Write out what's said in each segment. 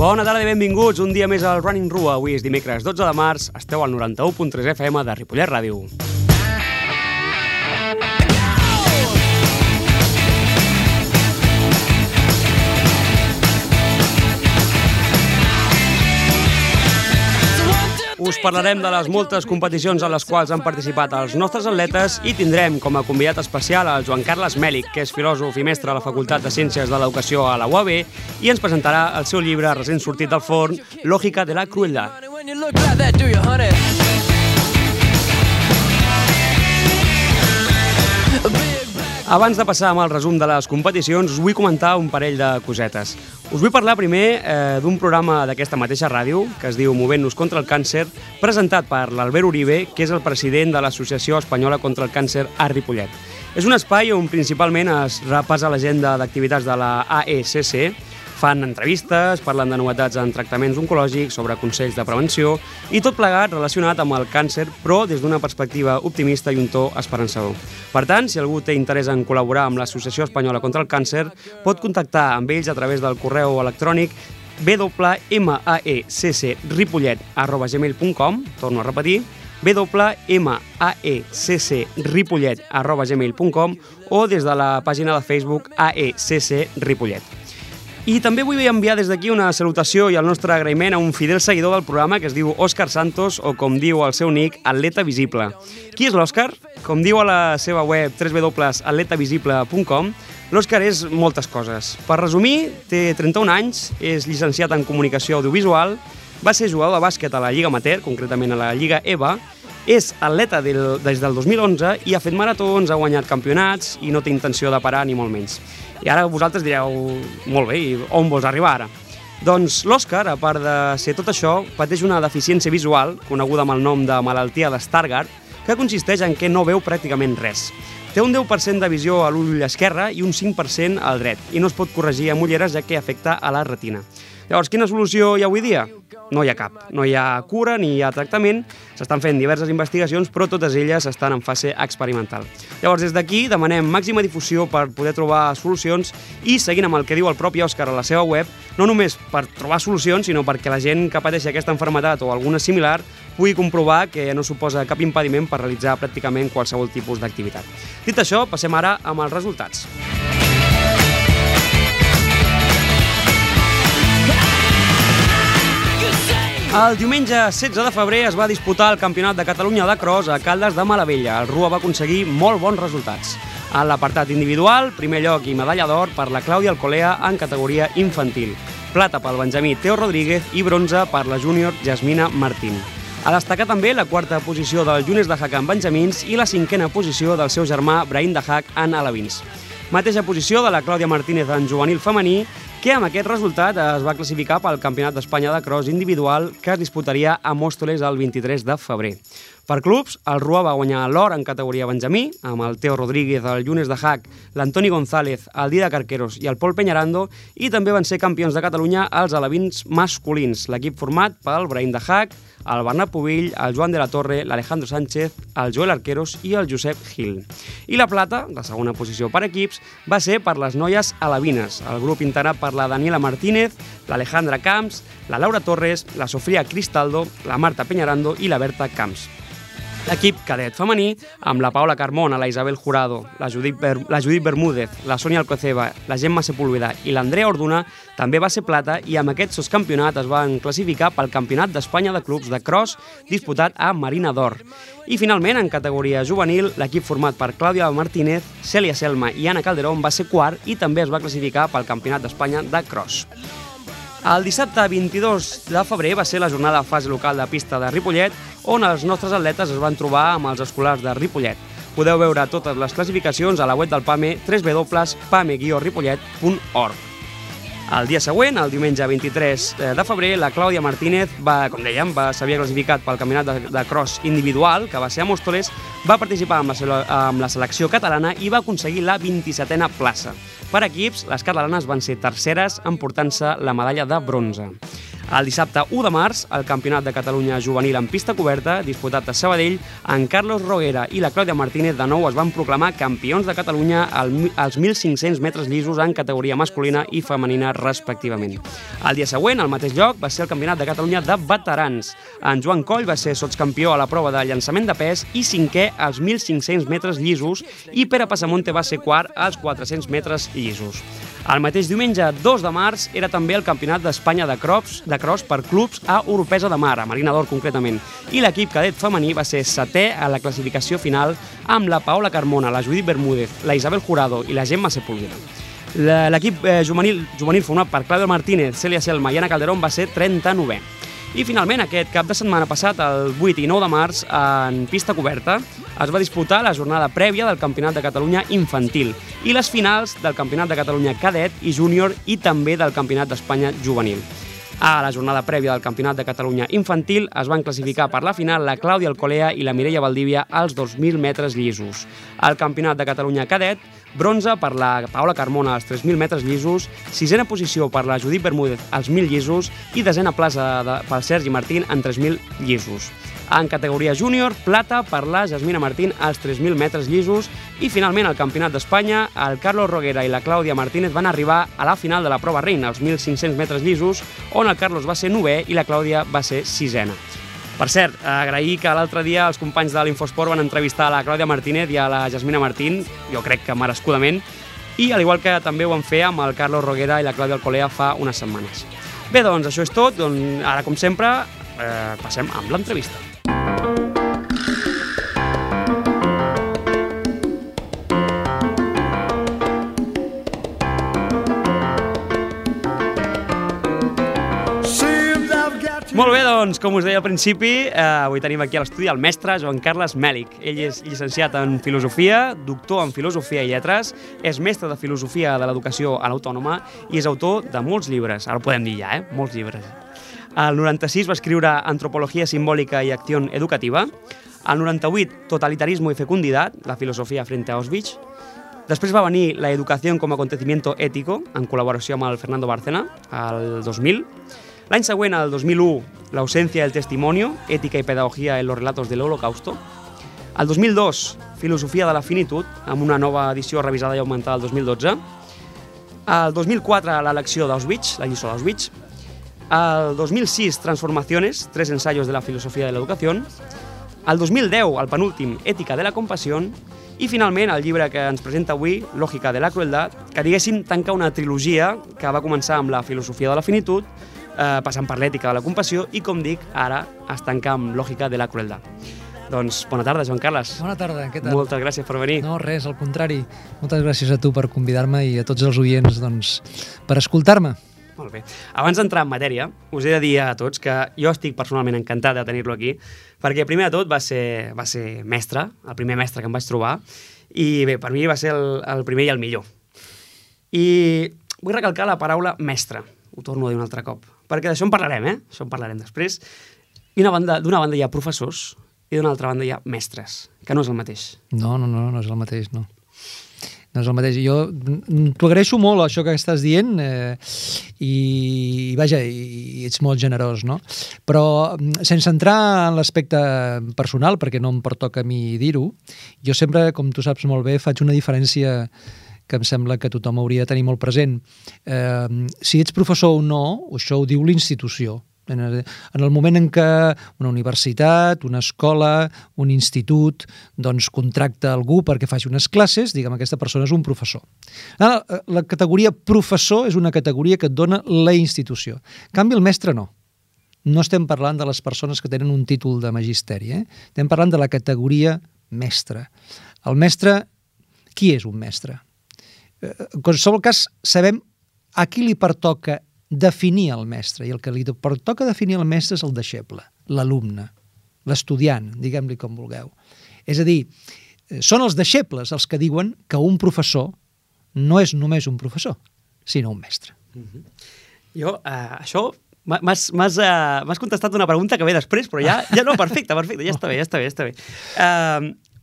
Bona tarda i benvinguts un dia més al Running Rua. Avui és dimecres 12 de març, esteu al 91.3 FM de Ripollet Ràdio. Us parlarem de les moltes competicions en les quals han participat els nostres atletes i tindrem com a convidat especial el Joan Carles Mèlich, que és filòsof i mestre a la Facultat de Ciències de l'Educació a la UAB i ens presentarà el seu llibre recent sortit del forn, Lògica de la crueldad. Abans de passar amb el resum de les competicions, us vull comentar un parell de cosetes. Us vull parlar primer d'un programa d'aquesta mateixa ràdio, que es diu Movent-nos contra el càncer, presentat per l'Albert Uribe, que és el president de l'Associació Espanyola contra el Càncer a Ripollet. És un espai on principalment es repassa l'agenda d'activitats de la AECC, fan entrevistes, parlen de novetats en tractaments oncològics, sobre consells de prevenció i tot plegat relacionat amb el càncer, però des d'una perspectiva optimista i un to esperançador. Per tant, si algú té interès en col·laborar amb l'Associació Espanyola contra el Càncer, pot contactar amb ells a través del correu electrònic www.maccripollet@gmail.com, torno a repetir, www.maccripollet@gmail.com o des de la pàgina de Facebook AECC Ripollet. I també vull enviar des d'aquí una salutació i el nostre agraïment a un fidel seguidor del programa que es diu Òscar Santos, o com diu el seu nick, Atleta Visible. Qui és l'Òscar? Com diu a la seva web www.atletavisible.com, l'Òscar és moltes coses. Per resumir, té 31 anys, és llicenciat en Comunicació Audiovisual, va ser jugador de bàsquet a la Lliga Amateur, concretament a la Lliga EVA, és atleta des del 2011 i ha fet maratons, ha guanyat campionats i no té intenció de parar ni molt menys. I ara vosaltres direu, molt bé, i on vols arribar ara? Doncs l'Òscar, a part de ser tot això, pateix una deficiència visual, coneguda amb el nom de malaltia de Stargardt, que consisteix en què no veu pràcticament res. Té un 10% de visió a l'ull esquerre i un 5% al dret, i no es pot corregir amb ulleres ja que afecta a la retina. Llavors, quina solució hi ha avui dia? No hi ha cap. No hi ha cura ni hi ha tractament. S'estan fent diverses investigacions, però totes elles estan en fase experimental. Llavors, des d'aquí demanem màxima difusió per poder trobar solucions i, seguint amb el que diu el propi Òscar a la seva web, no només per trobar solucions, sinó perquè la gent que pateix aquesta malaltia o alguna similar pugui comprovar que no suposa cap impediment per realitzar pràcticament qualsevol tipus d'activitat. Dit això, passem ara amb els resultats. El diumenge 16 de febrer es va disputar el Campionat de Catalunya de Cross a Caldes de Malavella. El Rua va aconseguir molt bons resultats. En l'apartat individual, primer lloc i medalla d'or per la Clàudia Alcolea en categoria infantil. Plata pel benjamí Teo Rodríguez i bronze per la júnior Jasmina Martín. A destacar també la quarta posició del Younes de Hack en benjamins i la cinquena posició del seu germà Brahim de Hack en alevins. Mateixa posició de la Clàudia Martínez en juvenil femení, que amb aquest resultat es va classificar pel Campionat d'Espanya de Cross individual que es disputaria a Mòstoles el 23 de febrer. Per clubs, el Rua va guanyar l'or en categoria benjamí, amb el Teo Rodríguez, el Younes de Hack, l'Antoni González, el Didac Arqueros i el Pol Peñarando, i també van ser campions de Catalunya els alevins masculins, l'equip format pel Brahim de Hack, el Bernat Pubill, el Joan de la Torre, l'Alejandro Sánchez, el Joel Arqueros i el Josep Gil. I la plata, la segona posició per equips, va ser per les noies alevines, el grup integrat per la Daniela Martínez, l'Alejandra Camps, la Laura Torres, la Sofia Cristaldo, la Marta Peñarando i la Berta Camps. L'equip cadet femení, amb la Paula Carmona, la Isabel Jurado, la Judit Bermúdez, la Sònia Alcoceba, la Gemma Sepúlveda i l'Andrea Orduna, també va ser plata i amb aquest soscampionat es van classificar pel Campionat d'Espanya de Clubs de Cross disputat a Marina d'Or. I finalment, en categoria juvenil, l'equip format per Clàudia Martínez, Cèlia Selma i Anna Calderón va ser quart i també es va classificar pel Campionat d'Espanya de Cross. El dissabte 22 de febrer va ser la jornada de fase local de pista de Ripollet, on els nostres atletes es van trobar amb els escolars de Ripollet. Podeu veure totes les classificacions a la web del PAME, www.pame-ripollet.org. El dia següent, el diumenge 23 de febrer, la Clàudia Martínez s'havia classificat pel campionat de cross individual, que va ser a Mòstoles, va participar amb la selecció catalana i va aconseguir la 27a plaça. Per equips, les catalanes van ser terceres, emportant-se la medalla de bronze. El dissabte 1 de març, el Campionat de Catalunya juvenil en pista coberta, disputat a Sabadell, en Carlos Roguera i la Clàudia Martínez de nou es van proclamar campions de Catalunya als 1.500 metres llisos en categoria masculina i femenina respectivament. El dia següent, al mateix lloc, va ser el Campionat de Catalunya de veterans. En Joan Coll va ser sotscampió a la prova de llançament de pes i cinquè als 1.500 metres llisos i Pere Passamonte va ser quart als 400 metres llisos. El mateix diumenge 2 de març era també el Campionat d'Espanya de cross per clubs a Oropesa de Mar, a Marina d'Or concretament, i l'equip cadet femení va ser setè a la classificació final amb la Paola Carmona, la Judit Bermúdez, la Isabel Jurado i la Gemma Sepúlveda. L'equip juvenil format per Clàudia Martínez, Cèlia Selma i Ana Calderón va ser 39è. I finalment, aquest cap de setmana passat, el 8 i 9 de març, en pista coberta, es va disputar la jornada prèvia del Campionat de Catalunya infantil i les finals del Campionat de Catalunya cadet i júnior i també del Campionat d'Espanya juvenil. A la jornada prèvia del Campionat de Catalunya infantil es van classificar per la final la Clàudia Alcolea i la Mireia Valdívia als 2.000 metres llisos. Al Campionat de Catalunya cadet, bronze per la Paola Carmona als 3.000 metres llisos, sisena posició per la Judit Bermúdez als 1.000 llisos i desena plaça pel Sergi Martín en 3.000 llisos. En categoria júnior, plata per la Jasmina Martín als 3.000 metres llisos i finalment al Campionat d'Espanya, el Carlos Roguera i la Clàudia Martínez van arribar a la final de la prova reina, als 1.500 metres llisos, on el Carlos va ser 9è i la Clàudia va ser 6ena. Per cert, agrair que l'altre dia els companys de l'Infosport van entrevistar a la Clàudia Martínez i a la Jasmina Martín, jo crec que merescudament, i al igual que també ho van fer amb el Carlos Roguera i la Clàudia Alcolea fa unes setmanes. Bé, doncs això és tot. Ara, com sempre, passem amb l'entrevista. Molt bé, doncs, com us deia al principi, avui tenim aquí a l'estudi el mestre Joan Carles Mèlich. Ell és llicenciat en Filosofia, doctor en Filosofia i Lletres, és mestre de Filosofia de l'Educació a l'Autònoma i és autor de molts llibres. Ara ho podem dir ja, molts llibres. Al 96 va escriure Antropología simbólica y acción educativa. Al 98, Totalitarismo y fecundidad, la filosofia frente a Auschwitz. Després va venir La educación como acontecimiento ético, en col·laboració amb el Fernando Bárcena, al 2000. L'any següent, el 2001, La ausencia del testimonio, ética y pedagogía en los relatos del Holocausto. El 2002, Filosofia de la finitud, amb una nova edició revisada i augmentada el 2012. El 2004, La lecció d'Auschwitz, la lliçó d'Auschwitz. El 2006, Transformaciones, 3 ensayos de la filosofía de la educación. El 2010, el penúltim, Ètica de la compassió. I finalment, el llibre que ens presenta avui, Lògica de la crueldad, que diguéssim tanca una trilogia que va començar amb la filosofia de la finitud, passant per l'ètica de la compassió i, com dic, ara es tanca amb Lògica de la crueldad. Doncs bona tarda, Joan Carles. Bona tarda, què tal? Moltes gràcies per venir. No, res, al contrari. Moltes gràcies a tu per convidar-me i a tots els oients per escoltar-me. Molt bé. Abans d'entrar en matèria, us he de dir a tots que jo estic personalment encantat de tenir-lo aquí, perquè primer de tot va ser mestre, el primer mestre que em vaig trobar, i bé, per mi va ser el primer i el millor. I vull recalcar la paraula mestre, ho torno a dir un altre cop, perquè d'això en parlarem, Això en parlarem després. I d'una banda hi ha professors i d'una altra banda hi ha mestres, que no és el mateix. No és el mateix, no. No és el mateix. Jo t'ho agraeixo molt, això que estàs dient, i vaja, i ets molt generós, no? Però sense entrar en l'aspecte personal, perquè no em pertoca a mi dir-ho, jo sempre, com tu saps molt bé, faig una diferència que em sembla que tothom hauria de tenir molt present. Si ets professor o no, això ho diu l'institució. En el moment en què una universitat, una escola, un institut, doncs contracta algú perquè faci unes classes, diguem, aquesta persona és un professor. La categoria professor és una categoria que et dona la institució. En canvi, el mestre no. No estem parlant de les persones que tenen un títol de magisteri, Estem parlant de la categoria mestre. El mestre, qui és un mestre? En qualsevol cas, sabem a qui li pertoca definir el mestre, i el que li pertoca definir el mestre és el deixeble, l'alumne, l'estudiant, diguem-li com vulgueu. És a dir, són els deixebles els que diuen que un professor no és només un professor, sinó un mestre. Jo, això, m'has contestat una pregunta que ve després, però ja no, perfecte, ja està bé.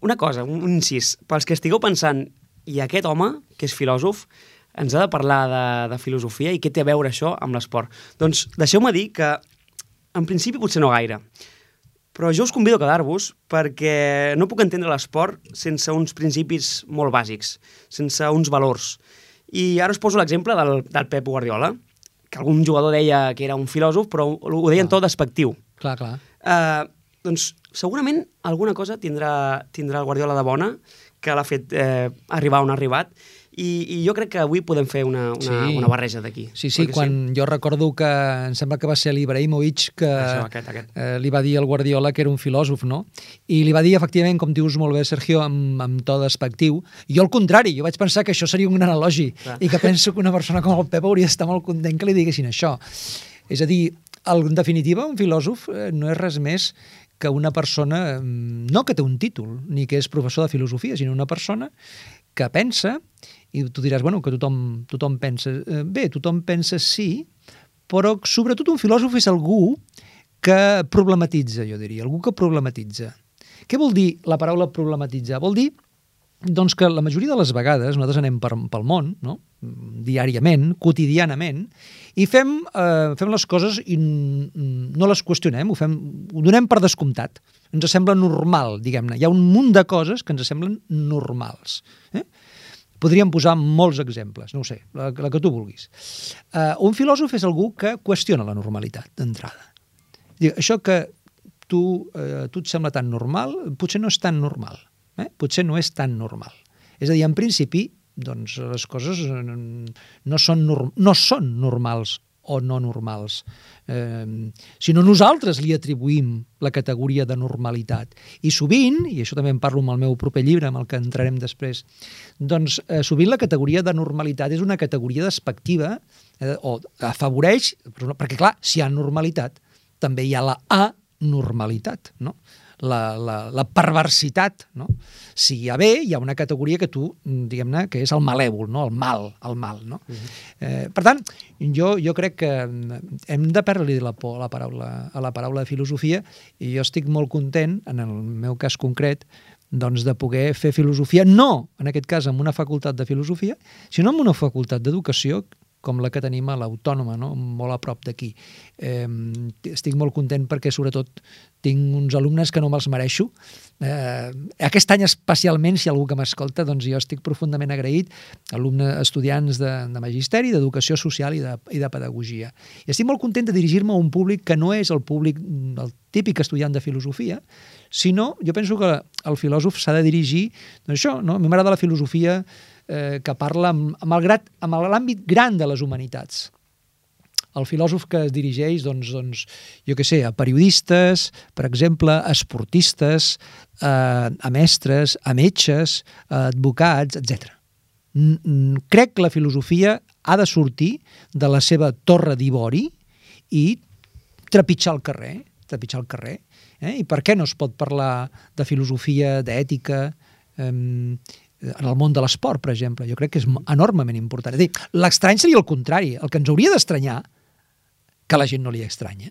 Una cosa, un incís, pels que estigueu pensant, i aquest home, que és filòsof, ens ha de parlar de filosofia i què té a veure això amb l'esport. Doncs deixeu-me dir que, en principi, potser no gaire, però jo us convido a quedar-vos perquè no puc entendre l'esport sense uns principis molt bàsics, sense uns valors. I ara us poso l'exemple del Pep Guardiola, que algun jugador deia que era un filòsof, però ho deia en tot despectiu. Clar, clar. Doncs segurament alguna cosa tindrà el Guardiola de bona que l'ha fet arribar on ha arribat, i jo crec que avui podem fer una barreja d'aquí. Sí, quan jo recordo que em sembla que va ser l'Ibrahimovic que li va dir al Guardiola que era un filòsof, no? I li va dir, efectivament, com dius molt bé, Sergio, amb to despectiu. Jo al contrari, jo vaig pensar que això seria un gran elogi i que penso que una persona com el Pep hauria d'estar molt content que li diguessin això. És a dir, en definitiva, un filòsof no és res més que una persona, no que té un títol, ni que és professor de filosofia, sinó una persona que pensa, i tu diràs, bueno, que tothom pensa. Bé, tothom pensa sí, però sobretot un filòsof és algú que problematitza, jo diria, algú que problematitza. Què vol dir la paraula problematitzar? Vol dir doncs, que la majoria de les vegades nosaltres anem pel món, no? Diàriament, quotidianament, i fem les coses i no les qüestionem, ho donem per descomptat. Ens sembla normal, diguem-ne. Hi ha un munt de coses que ens semblen normals. Podríem posar molts exemples, no ho sé, la que tu vulguis. Un filòsof és algú que qüestiona la normalitat, d'entrada. Això que tu et sembla tan normal, potser no és tan normal. Potser no és tan normal. És a dir, en principi, doncs les coses no són normals o no normals, sinó nosaltres li atribuïm la categoria de normalitat. I sovint, i això també en parlo amb el meu proper llibre, amb el que entrarem després, doncs sovint la categoria de normalitat és una categoria despectiva o afavoreix, perquè clar, si hi ha normalitat, també hi ha la anormalitat, no? La perversitat, no? Si hi ha bé, hi ha una categoria que tu, diguem-ne, que és el malèvol, no? El mal, no? Per tant, jo crec que hem de perdre-li la por a la paraula de filosofia, i jo estic molt content, en el meu cas concret, doncs de poder fer filosofia, no, en aquest cas, amb una facultat de filosofia, sinó amb una facultat d'educació, com la que tenim a l'Autònoma, no? Molt a prop d'aquí. Estic molt content perquè, sobretot, tinc uns alumnes que no me'ls mereixo. Aquest any especialment, si algú que m'escolta, doncs jo estic profundament agraït, estudiants de magisteri, d'educació social i de pedagogia. I estic molt content de dirigir-me a un públic que no és el públic del típic estudiant de filosofia, sinó, jo penso que el filòsof s'ha de dirigir, doncs això, no? A mi m'agrada la filosofia que parla amb l'àmbit gran de les humanitats. El filòsof que es dirigeix, doncs, jo què sé, a periodistes, per exemple, a esportistes, a mestres, a metges, a advocats, etc. Crec que la filosofia ha de sortir de la seva torre d'ivori i trepitjar el carrer. I per què no es pot parlar de filosofia, d'ètica, en el món de l'esport, per exemple? Jo crec que és enormement important. És a dir, l'estrany seria el contrari. El que ens hauria d'estranyar, que a la gent no li estranya,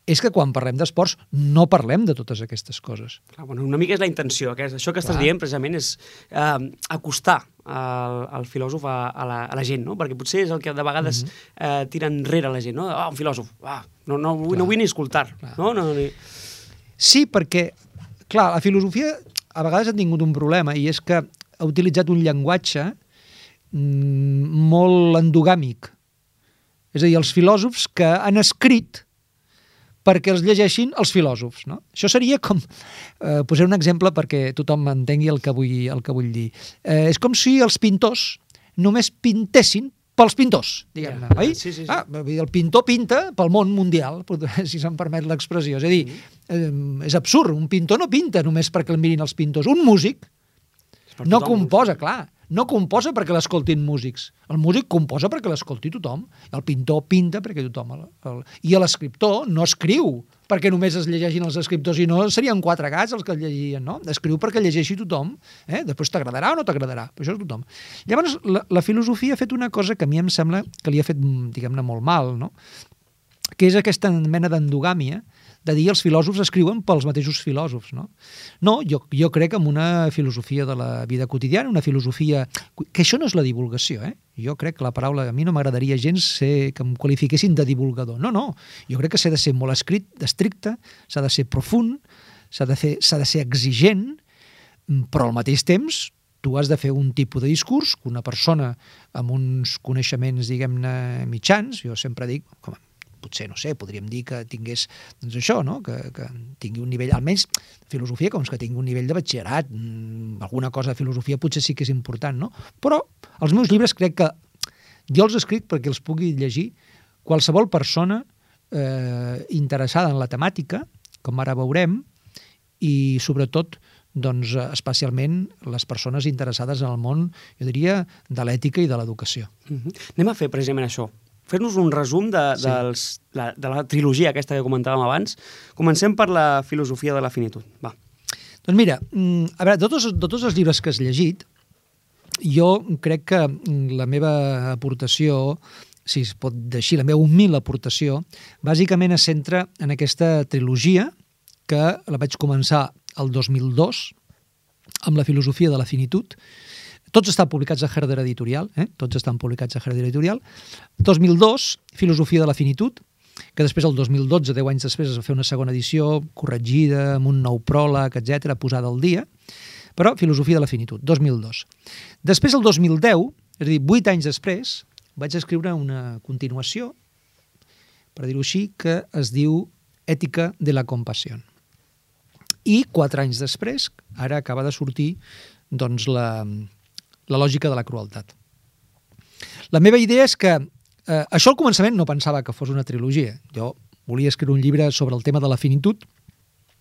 és que quan parlem d'esports no parlem de totes aquestes coses. Clar, bueno, una mica és la intenció. Això que estàs dient precisament és acostar el filòsof a la gent, no? Perquè potser és el que de vegades tira enrere la gent, no? Un filòsof, no vull ni escoltar. Sí, perquè, clar, la filosofia a vegades ha tingut un problema, i és que ha utilitzat un llenguatge molt endogàmic. És a dir, els filòsofs que han escrit perquè els llegeixin els filòsofs, no? Això seria com... posaré un exemple perquè tothom entengui el que vull dir. És com si els pintors només pintessin pels pintors, diguem-ne, oi? Sí. El pintor pinta pel món mundial, si se'm permet l'expressió. És a dir, és absurd, un pintor no pinta només perquè el mirin els pintors. Un músic no composa, clar, no composa perquè l'escoltin músics. El músic composa perquè l'escolti tothom. El pintor pinta perquè tothom... I l'escriptor no escriu perquè només es llegeixin els escriptors, i no serien 4 gats els que el llegirien, no? Escriu perquè llegeixi tothom. Després t'agradarà o no t'agradarà, però això és tothom. Llavors, la filosofia ha fet una cosa que a mi em sembla que li ha fet, diguem-ne, molt mal, no? Que és aquesta mena d'endogàmia de dir els filòsofs escriuen pels mateixos filòsofs, no? No, jo crec en una filosofia de la vida quotidiana, una filosofia... Que això no és la divulgació, eh? Jo crec que la paraula... A mi no m'agradaria gens que em qualifiquessin de divulgador. No. Jo crec que s'ha de ser molt estricte, s'ha de ser profund, s'ha de ser exigent, però al mateix temps tu has de fer un tipus de discurs que una persona amb uns coneixements, diguem-ne, mitjans, jo sempre dic, potser, no sé, podríem dir que tingués, doncs això, no?, que tingui un nivell, almenys filosofia, com que tingui un nivell de batxillerat, alguna cosa de filosofia potser sí que és important, no? Però els meus llibres crec que jo els escric perquè els pugui llegir qualsevol persona interessada en la temàtica, com ara veurem, i sobretot doncs especialment les persones interessades en el món, jo diria, de l'ètica i de l'educació. Anem a fer precisament això. Fer-nos un resum de la trilogia aquesta que comentàvem abans. Comencem per la filosofia de la finitud. Va. Doncs mira, a veure, de tots els llibres que has llegit, jo crec que la meva aportació, si es pot dir així, la meva humil aportació, bàsicament es centra en aquesta trilogia que la vaig començar el 2002, amb la filosofia de la finitud. Tots estan publicats a Herder Editorial, tots estan publicats a Herder Editorial. 2002, filosofia de la finitud, que després, el 2012, 10 anys després, es va fer una segona edició, corregida, amb un nou pròleg, etc., posada al dia, però filosofia de la finitud, 2002. Després, el 2010, és a dir, 8 anys després, vaig escriure una continuació, per dir-ho així, que es diu Ètica de la compassió. I 4 anys després, ara acaba de sortir doncs, la lògica de la crueltat. La meva idea és que això al començament no pensava que fos una trilogia. Jo volia escriure un llibre sobre el tema de la finitud,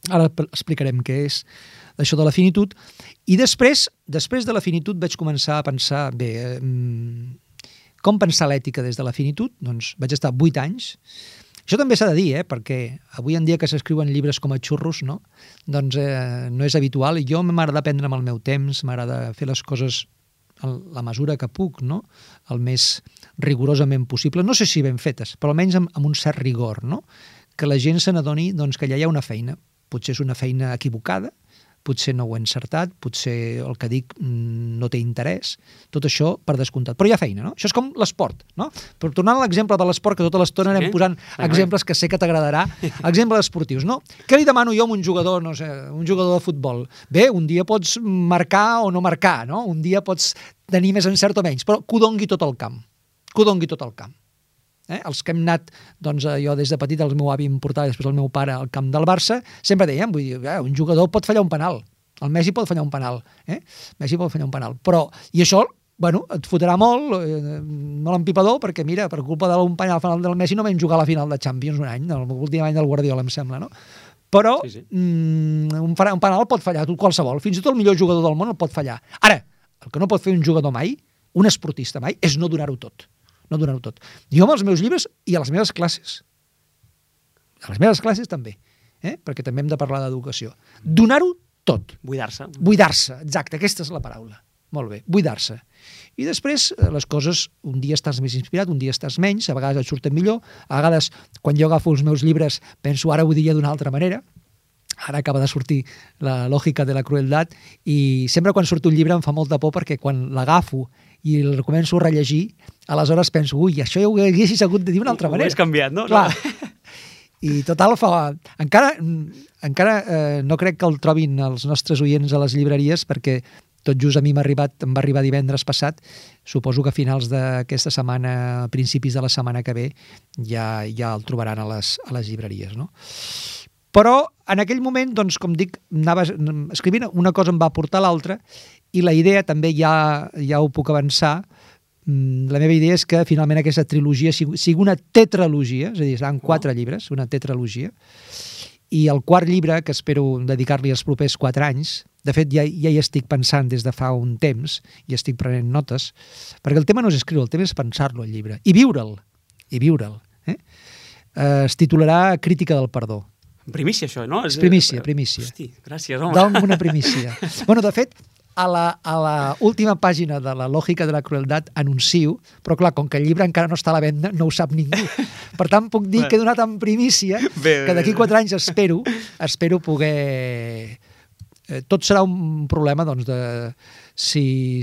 ara explicarem què és això de la finitud, i després de la finitud vaig començar a pensar, bé, com pensar l'ètica des de la finitud? Doncs vaig estar 8 anys. Això també s'ha de dir, perquè avui en dia que s'escriuen llibres com a xurros, no? Doncs no és habitual. Jo m'agrada prendre amb el meu temps, m'agrada fer les coses a la mesura que puc, no? El més rigorosament possible. No sé si ben fetes, però almenys amb un cert rigor, no? Que la gent se n'adoni doncs, que allà hi ha una feina. Potser és una feina equivocada, potser no ho he encertat, potser el que dic no té interès, tot això per descomptat. Però hi ha feina, no? Això és com l'esport, no? Però tornant a l'exemple de l'esport, que tota l'estona anem posant exemples que sé que t'agradarà, exemples esportius, no? Què li demano jo a un jugador, no sé, un jugador de futbol? Bé, un dia pots marcar o no marcar, no? Un dia pots tenir més encert o menys, però que ho dongui tot el camp. Que ho dongui tot el camp. Els que hem anat, doncs jo des de petit el meu avi em portava, després el meu pare al camp del Barça, sempre dèiem, vull dir, un jugador pot fallar un penal, el Messi pot fallar un penal, Messi pot fallar un penal, però, i això, bueno, et fotrà molt empipador, perquè mira, per culpa d'un penal final del Messi no vam jugar a la final de Champions un any, l'últim any del Guardiola, em sembla, no? Però un penal pot fallar qualsevol, fins i tot el millor jugador del món el pot fallar. Ara, el que no pot fer un jugador mai, un esportista mai, és no donar-ho tot. No donar-ho tot. Jo amb els meus llibres i a les meves classes. A les meves classes també, perquè també hem de parlar d'educació. Donar-ho tot. Buidar-se. Buidar-se, exacte, aquesta és la paraula. Molt bé, buidar-se. I després les coses, un dia estàs més inspirat, un dia estàs menys, a vegades et surten millor, a vegades quan jo agafo els meus llibres penso ara ho diria d'una altra manera. Ara acaba de sortir la lògica de la crueltat i sempre quan surt un llibre em fa molta por perquè quan l'agafo i el començo a rellegir, aleshores penso, ui, això ja ho haguessis hagut de dir d'una altra manera. Ho has canviat, no? Clar. I total, encara no crec que el trobin els nostres oients a les llibreries perquè tot just a mi em va arribar divendres passat, suposo que a finals d'aquesta setmana, a principis de la setmana que ve, ja el trobaran a les llibreries, no? Però en aquell moment, doncs, com dic, anava escrivint, una cosa em va portar a l'altra i la idea també ja ho puc avançar. La meva idea és que finalment aquesta trilogia sigui una tetralogia, és a dir, seran 4 llibres, una tetralogia, i el 4 llibre, que espero dedicar-li els propers 4 anys, de fet ja hi estic pensant des de fa un temps i estic prenent notes, perquè el tema no és escriure, el tema és pensar-lo, el llibre, i viure'l. Es titularà Crítica del perdó. Primícia, això, no? És primícia. Hosti, gràcies, home. Da'm una primícia. Bueno, de fet, a la última pàgina de la lògica de la crueldad anuncio, però clar, com que el llibre encara no està a la venda, no ho sap ningú. Per tant, puc dir que he donat en primícia que d'aquí 4 anys espero poder... Tot serà un problema, doncs, de si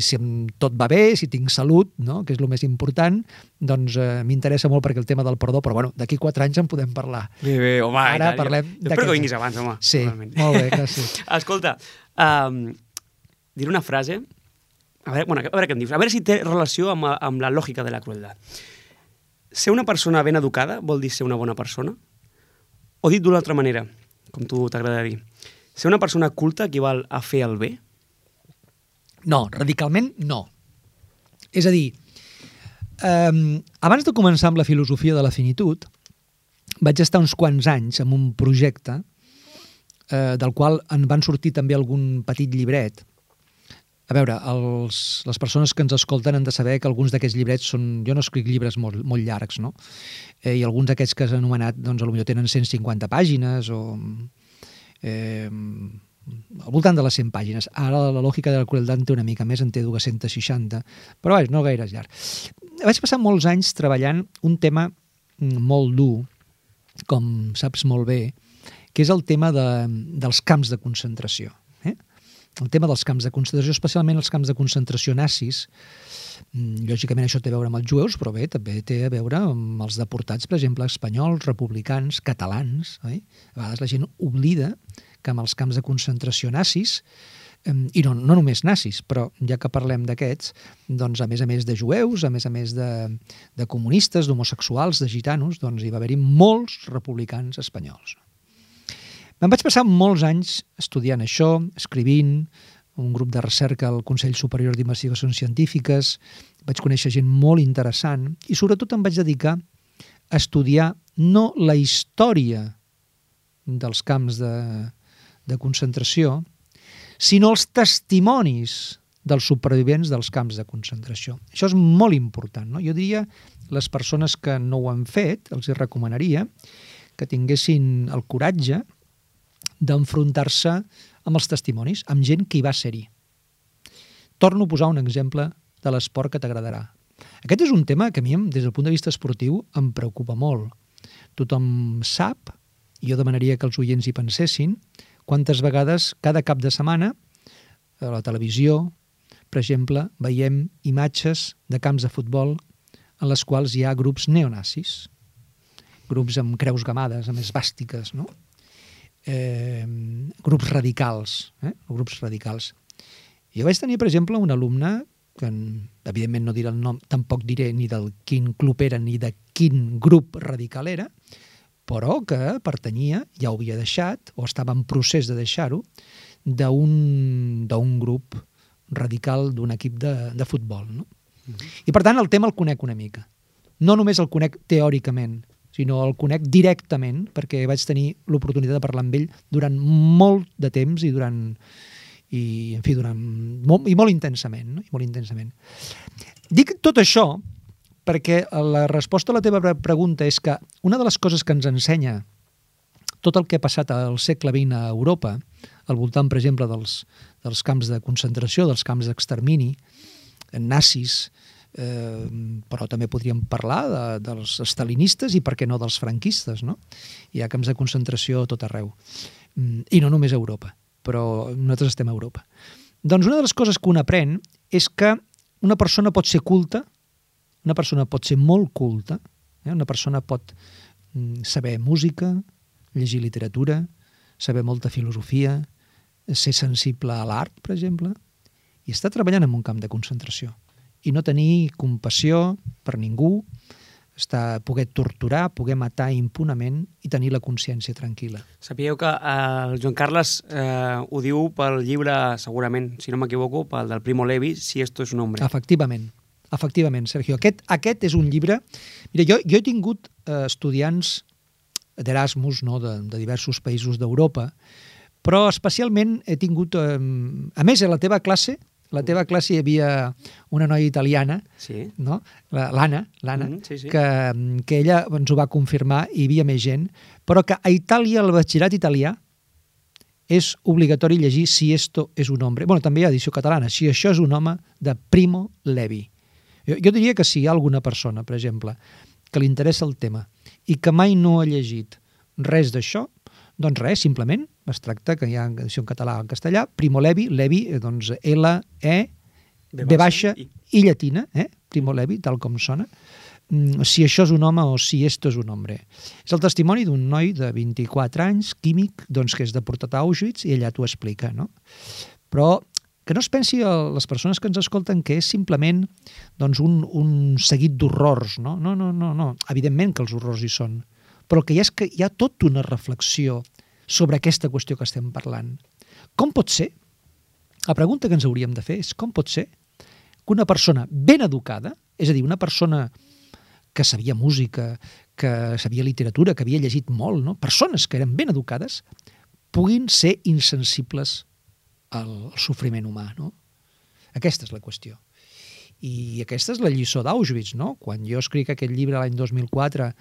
tot va bé, si tinc salut, no? Que és el més important, doncs m'interessa molt perquè el tema del perdó, però bueno, d'aquí 4 anys en podem parlar. Bé, home, ara parlem... Espero que vinguis abans, home. Sí, molt bé, gràcies. Escolta, diré una frase, a veure què em dius, a veure si té relació amb la lògica de la crueldad. Ser una persona ben educada vol dir ser una bona persona? O dit d'una altra manera, com tu t'agrada dir, ser una persona culta equival a fer el bé? No, radicalment no. És a dir, abans de començar amb la filosofia de la finitud, vaig estar uns quants anys en un projecte del qual en van sortir també algun petit llibret. A veure, les persones que ens escolten han de saber que alguns d'aquests llibrets són... Jo no escric llibres molt llargs, no? I alguns d'aquests que has anomenat, doncs, potser tenen 150 pàgines o... al voltant de les 100 pàgines. Ara la lògica de la crueldad té una mica més, en té 260, però vaja, no gaire llarg. Vaig passar molts anys treballant un tema molt dur, com saps molt bé, que és el tema dels camps de concentració. El tema dels camps de concentració, especialment els camps de concentració nazis. Lògicament això té a veure amb els jueus, però bé, també té a veure amb els deportats, per exemple, espanyols, republicans, catalans. A vegades la gent oblida que amb els camps de concentració nazis, i no només nazis, però ja que parlem d'aquests, doncs a més de jueus, a més de comunistes, d'homosexuals, de gitanos, doncs hi va haver-hi molts republicans espanyols. Me'n vaig passar molts anys estudiant això, escrivint, un grup de recerca al Consell Superior d'Investigacions Científiques, vaig conèixer gent molt interessant i sobretot em vaig dedicar a estudiar no la història dels camps de concentració, sinó els testimonis dels supervivents dels camps de concentració. Això és molt important, no? Jo diria, les persones que no ho han fet, els recomanaria que tinguessin el coratge d'enfrontar-se amb els testimonis, amb gent que hi va ser-hi. Torno a posar un exemple de l'esport que t'agradarà. Aquest és un tema que a mi, des del punt de vista esportiu, em preocupa molt. Tothom sap, i jo demanaria que els oients hi pensessin, quantes vegades cada cap de setmana a la televisió, per exemple, veiem imatges de camps de futbol en les quals hi ha grups neonazis, grups amb creus gamades, amb esvàstiques, no? Grups radicals. Grups radicals. Jo vaig tenir, per exemple, un alumne que, evidentment no diré el nom, tampoc diré ni del quin club era ni de quin grup radical era, però que pertanyia, ja ho havia deixat, o estava en procés de deixar-ho, d'un grup radical d'un equip de futbol. No? I per tant el tema el conec una mica. No només el conec teòricament, sinó el conec directament, perquè vaig tenir l'oportunitat de parlar amb ell durant molt de temps i molt intensament. No? I molt intensament. Dic tot això perquè la resposta a la teva pregunta és que una de les coses que ens ensenya tot el que ha passat al segle XX a Europa, al voltant, per exemple, dels camps de concentració, dels camps d'extermini, nazis, però també podríem parlar dels stalinistes i, per què no, dels franquistes, no? Hi ha camps de concentració a tot arreu. I no només a Europa, però nosaltres estem a Europa. Doncs una de les coses que un aprèn és que una persona pot ser culta, una persona pot ser molt culta, una persona pot saber música, llegir literatura, saber molta filosofia, ser sensible a l'art, per exemple, i estar treballant en un camp de concentració i no tenir compassió per ningú, poder torturar, poder matar impunament i tenir la consciència tranquil·la. Sapigueu que el Joan Carles ho diu pel llibre, segurament, si no m'equivoco, pel del Primo Levi, Si esto es un hombre. Efectivament, Sergio. Aquest és un llibre... Mira, jo he tingut estudiants d'Erasmus, no, de diversos països d'Europa, però especialment he tingut... A més, a la teva classe hi havia una noia italiana, sí. No? L'Anna, sí. que ella ens ho va confirmar, hi havia més gent, però que a Itàlia el batxillerat italià és obligatori llegir Si esto es un hombre. Bueno, també hi ha edició catalana. Si això és un home, de Primo Levi. Jo diria que si hi ha alguna persona, per exemple, que li interessa el tema i que mai no ha llegit res d'això, doncs res, simplement es tracta, que hi ha edició en català o en castellà, Primo Levi, Levi, doncs L-E, B baixa i llatina, Primo Levi, tal com sona. Si això és un home o si esto és un hombre. És el testimoni d'un noi de 24 anys, químic, doncs, que és deportat a Auschwitz, i ella t'ho explica, no? Però que no es pensi a les persones que ens escolten que és simplement doncs, un seguit d'horrors, no? No. Evidentment que els horrors hi són, però que hi ha tota una reflexió sobre aquesta qüestió que estem parlant. Com pot ser? La pregunta que ens hauríem de fer és com pot ser que una persona ben educada, és a dir, una persona que sabia música, que sabia literatura, que havia llegit molt, no? Persones que eren ben educades, puguin ser insensibles al sofriment humà, no? Aquesta és la qüestió. I aquesta és la lliçó d'Auschwitz, no? Quan jo escric aquest llibre l'any 2004,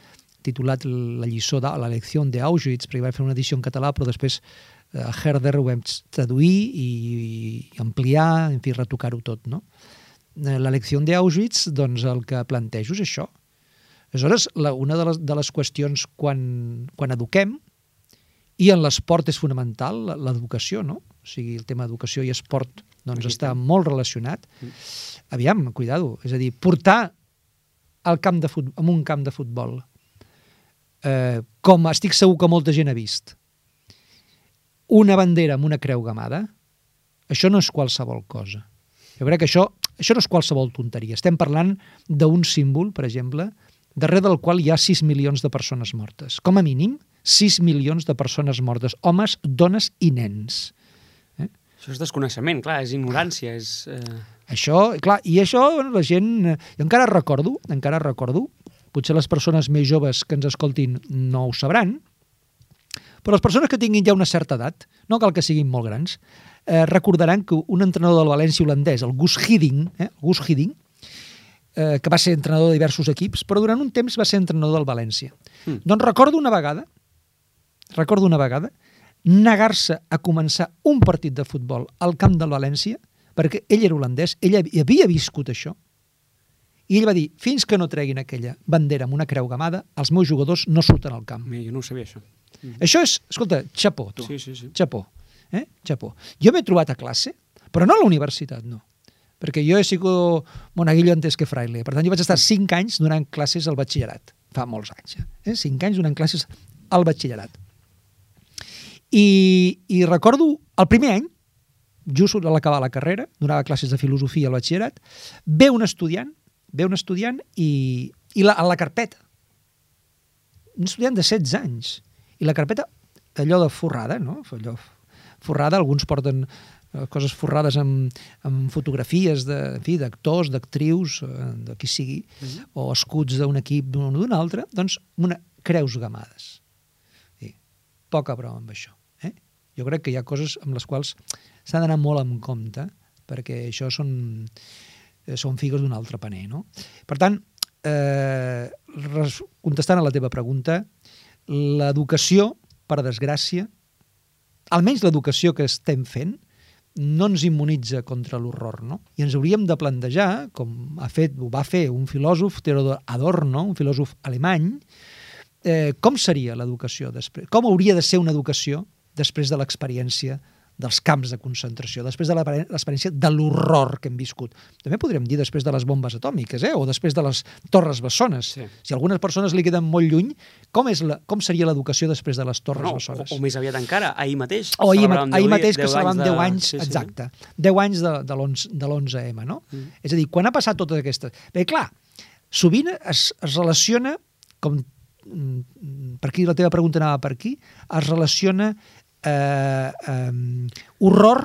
titulat La lliçó de la lecció d'Auschwitz, perquè vaig fer una edició en català, però després a Herder ho vam traduir i ampliar, en fi, retocar-ho tot, no? La lecció d'Auschwitz, doncs el que plantejo és això. Aleshores, una de les qüestions quan eduquem, i en l'esport és fonamental l'educació, no? O sigui, el tema d'educació i esport doncs està molt relacionat. Aviam, cuidado, és a dir, portar en un camp de futbol, com estic segur que molta gent ha vist, una bandera amb una creu gamada, això no és qualsevol cosa. Jo crec que això no és qualsevol tonteria. Estem parlant d'un símbol, per exemple, darrere del qual hi ha 6 milions de persones mortes. Com a mínim, 6 milions de persones mortes, homes, dones i nens. Això és desconeixement, clar, és ignorància, és... Això, clar, i això, bueno, la gent... Jo encara recordo, potser les persones més joves que ens escoltin no ho sabran, però les persones que tinguin ja una certa edat, no cal que siguin molt grans, recordaran que un entrenador del València holandès, el Guus Hiddink, que va ser entrenador de diversos equips, però durant un temps va ser entrenador del València. Doncs recordo una vegada negar-se a començar un partit de futbol al camp del València, perquè ell era holandès, ell havia viscut això, i ell va dir, fins que no treguin aquella bandera amb una creu gamada, els meus jugadors no surten al camp. Jo no ho sabia, això. Això és, escolta, xapó, tu. Sí. Xapó. Xapó. Jo m'he trobat a classe, però no a la universitat, no. Perquè jo he sigut monaguillo antes que fraile. Per tant, jo vaig estar 5 anys donant classes al batxillerat. Fa molts anys. 5 anys donant classes al batxillerat. I recordo el primer any, just a l'acabar la carrera, donava classes de filosofia al batxillerat, ve un estudiant i a la carpeta. Un estudiant de 16 anys. I la carpeta, allò de forrada, no? Allò forrada, alguns porten coses forrades amb fotografies d'actors, d'actrius, de qui sigui, o escuts d'un equip d'un o d'un altre, doncs creus gamades. Poca broma amb això. Jo crec que hi ha coses amb les quals s'ha d'anar molt en compte, perquè això són figues d'un altre paner, no? Per tant, contestant a la teva pregunta, l'educació, per desgràcia, almenys l'educació que estem fent, no ens immunitza contra l'horror, no? I ens hauríem de plantejar, com ho va fer un filòsof, Theodor Adorno, un filòsof alemany, com seria l'educació després? Com hauria de ser una educació després de l'experiència dels camps de concentració, després de l'experiència de l'horror que hem viscut. També podríem dir després de les bombes atòmiques, o després de les torres bessones. Sí. Si algunes persones li queden molt lluny, com seria l'educació després de les torres bessones? O més aviat encara, ahir mateix. O ahir mateix, que celebràvem 10 anys, exacte. 10 anys de l'11M, no? És a dir, quan ha passat totes aquestes... Bé, clar, sovint es relaciona, com per aquí la teva pregunta anava per aquí, es relaciona horror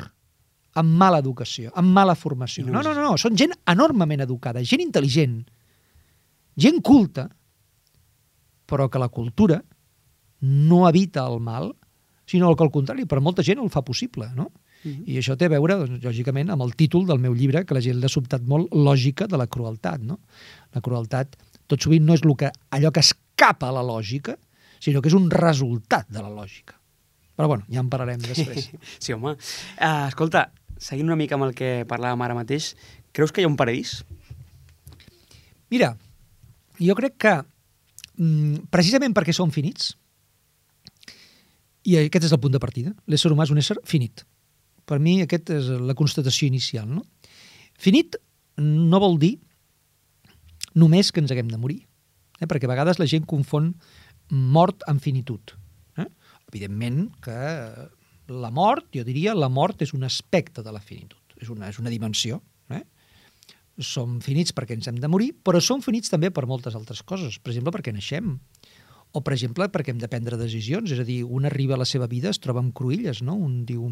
amb mala educació, amb mala formació. No, són gent enormement educada, gent intel·ligent, gent culta, però que la cultura no evita el mal, sinó que al contrari, per molta gent el fa possible, no? I això té a veure, lògicament, amb el títol del meu llibre, que la gent l'ha sobtat molt, Lògica de la crueltat, no? La crueltat, tot sovint, no és allò que escapa a la lògica, sinó que és un resultat de la lògica. Però bueno, ja en parlarem després. Sí, home. Escolta, seguint una mica amb el que parlàvem ara mateix, creus que hi ha un paradís? Mira, jo crec que precisament perquè som finits, i aquest és el punt de partida, l'ésser humà és un ésser finit. Per mi aquesta és la constatació inicial, no? Finit no vol dir només que ens haguem de morir, perquè a vegades la gent confon mort amb finitud. Evidentment que la mort, jo diria, la mort és un aspecte de la finitud, és una dimensió. Som finits perquè ens hem de morir, però som finits també per moltes altres coses. Per exemple, perquè naixem, o per exemple, perquè hem de prendre decisions. És a dir, un arriba a la seva vida, es troba amb cruïlles, no? Un diu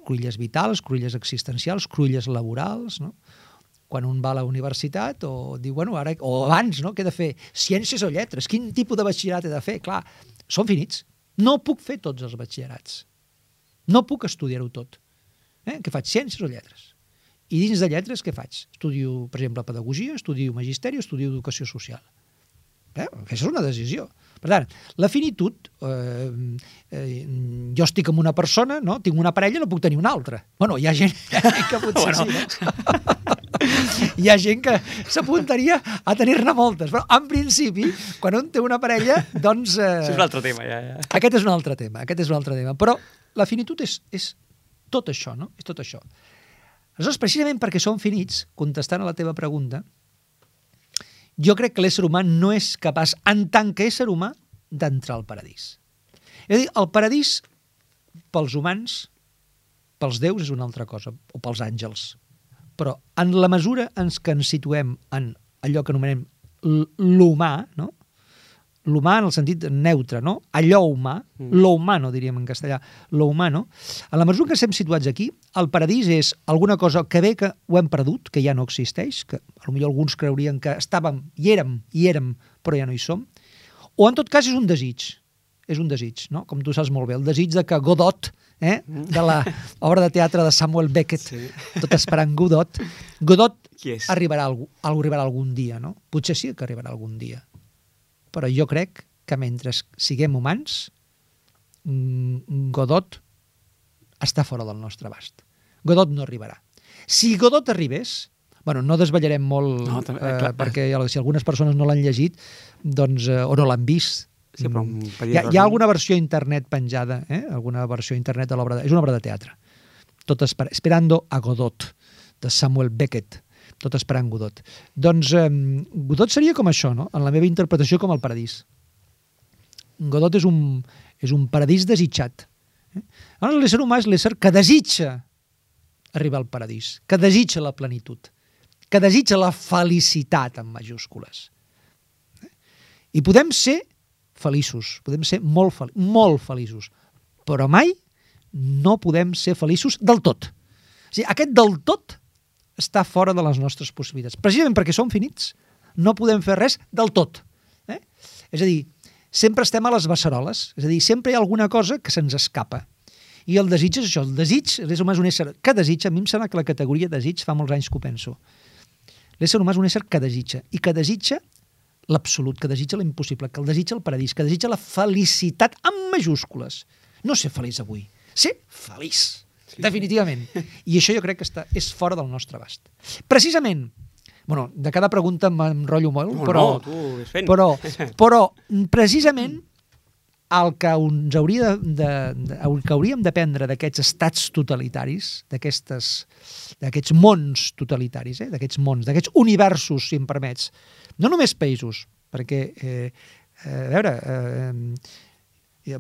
cruïlles vitals, cruïlles existencials, cruïlles laborals, no? Quan un va a la universitat o diu, bueno, ara, o abans, no? Què he de fer? Ciències o lletres? Quin tipus de batxillerat he de fer? Clar, som finits. No puc fer tots els batxillerats. No puc estudiar-ho tot. Què faig? Ciències o lletres? I dins de lletres què faig? Estudio, per exemple, pedagogia, estudio magisteri o estudio educació social. Aquesta és una decisió. Per tant, la finitud, jo estic amb una persona, no? Tinc una parella, no puc tenir una altra. Bueno, hi ha gent que potser sí, no? Hi ha gent que s'apuntaria a tenir-ne moltes, però en principi, quan un té una parella, doncs... Això és un altre tema, ja. Aquest és un altre tema. Però la finitud és tot això, no? És tot això. Aleshores, precisament perquè som finits, contestant a la teva pregunta, jo crec que l'ésser humà no és capaç, en tant que ésser humà, d'entrar al paradís. És a dir, el paradís, pels humans, pels déus és una altra cosa, o pels àngels. Però en la mesura en què ens situem en allò que anomenem l'humà, no? L'humà en el sentit neutre, no? Allò humà, lo humano, diríem en castellà, lo humano. En la mesura que estem situats aquí, el paradís és alguna cosa que bé que ho hem perdut, que ja no existeix, que potser alguns creurien que estàvem i érem, però ja no hi som, o en tot cas és un desig, no? Com tu saps molt bé, el desig de que Godot, de l'obra de teatre de Samuel Beckett, sí. Tot esperant Godot arribarà algun dia, no? Potser sí que arribarà algun dia. Però jo crec que mentre siguem humans, Godot està fora del nostre abast. Godot no arribarà. Si Godot arribés, bueno, no desvetllarem molt, perquè si algunes persones no l'han llegit, doncs, o no l'han vist, sí, però hi ha alguna versió a internet penjada, alguna versió a internet de l'obra, és una obra de teatre, tot esperando a Godot, de Samuel Beckett, tot esperant Godot. Doncs Godot seria com això, no? En la meva interpretació, com el paradís. Godot és un paradís desitjat. Llavors l'ésser humà és l'ésser que desitja arribar al paradís, que desitja la plenitud, que desitja la felicitat amb majúscules. I podem ser feliços, podem ser molt feliços, però mai no podem ser feliços del tot. O sigui, aquest del tot està fora de les nostres possibilitats. Precisament perquè som finits, no podem fer res del tot. És a dir, sempre estem a les beceroles, és a dir, sempre hi ha alguna cosa que se'ns escapa. I el desig és això, el desig, l'ésser humà és un ésser que desitja, a mi em sembla que la categoria desig fa molts anys que ho penso. L'ésser humà és un ésser que desitja, i que desitja l'absolut, que desitja l'impossible, que el desitja el paradís, que desitja la felicitat amb majúscules. No ser feliç avui, ser feliç. Sí. Definitivament. I això jo crec que és fora del nostre abast. Precisament, bueno, de cada pregunta m'enrotllo molt, però precisament el que ens hauríem d'aprendre d'aquests estats totalitaris, d'aquests mons totalitaris, d'aquests mons, d'aquests universos, si em permets, no només països, perquè, a veure,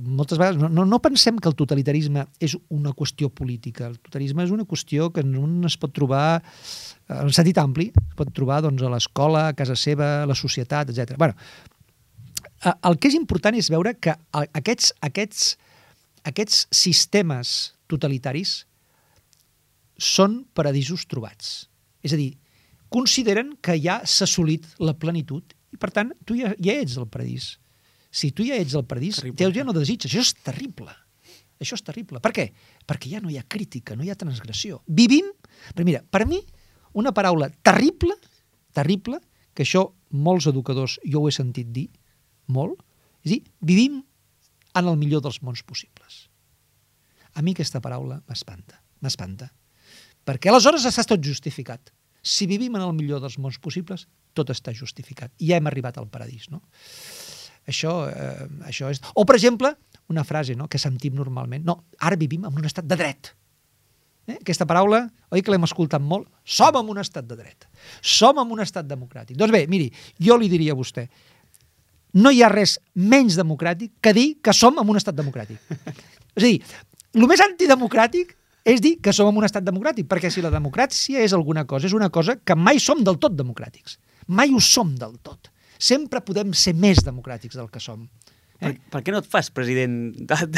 moltes vegades no pensem que el totalitarisme és una qüestió política. El totalitarisme és una qüestió que un es pot trobar en sentit ampli, es pot trobar doncs, a l'escola, a casa seva, a la societat, etc. Bueno, el que és important és veure que aquests sistemes totalitaris són paradisos trobats. És a dir, consideren que ja s'ha assolit la plenitud i, per tant, tu ja ets el paradís. Si tu ja ets al paradís, ja no desitges. Això és terrible. Això és terrible. Per què? Perquè ja no hi ha crítica, no hi ha transgressió. Vivim... Però mira, per mi, una paraula terrible, que això molts educadors, jo ho he sentit dir molt, és dir, vivim en el millor dels mons possibles. A mi aquesta paraula m'espanta. Perquè aleshores està tot justificat. Si vivim en el millor dels mons possibles, tot està justificat. I ja hem arribat al paradís, no? Això és... O, per exemple, una frase, no?, que sentim normalment. No, ara vivim en un estat de dret. Aquesta paraula, oi que l'hem escoltat molt? Som en un estat de dret. Som en un estat democràtic. Doncs bé, miri, jo li diria a vostè, no hi ha res menys democràtic que dir que som en un estat democràtic. És a dir, el més antidemocràtic és dir que som en un estat democràtic, perquè si la democràcia és alguna cosa, és una cosa que mai som del tot democràtics. Mai ho som del tot. Sempre podem ser més democràtics del que som. Per què no et fas president del...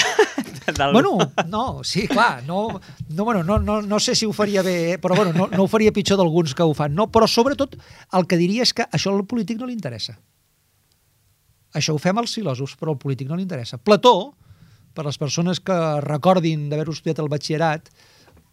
Bueno, no, sí, clar, no sé si ho faria bé, però bueno, no ho faria pitjor d'alguns que ho fan, no, però sobretot el que diria és que això al polític no li interessa. Això ho fem els filòsofs, però al polític no li interessa. Plató, per les persones que recordin d'haver-ho estudiat al batxillerat,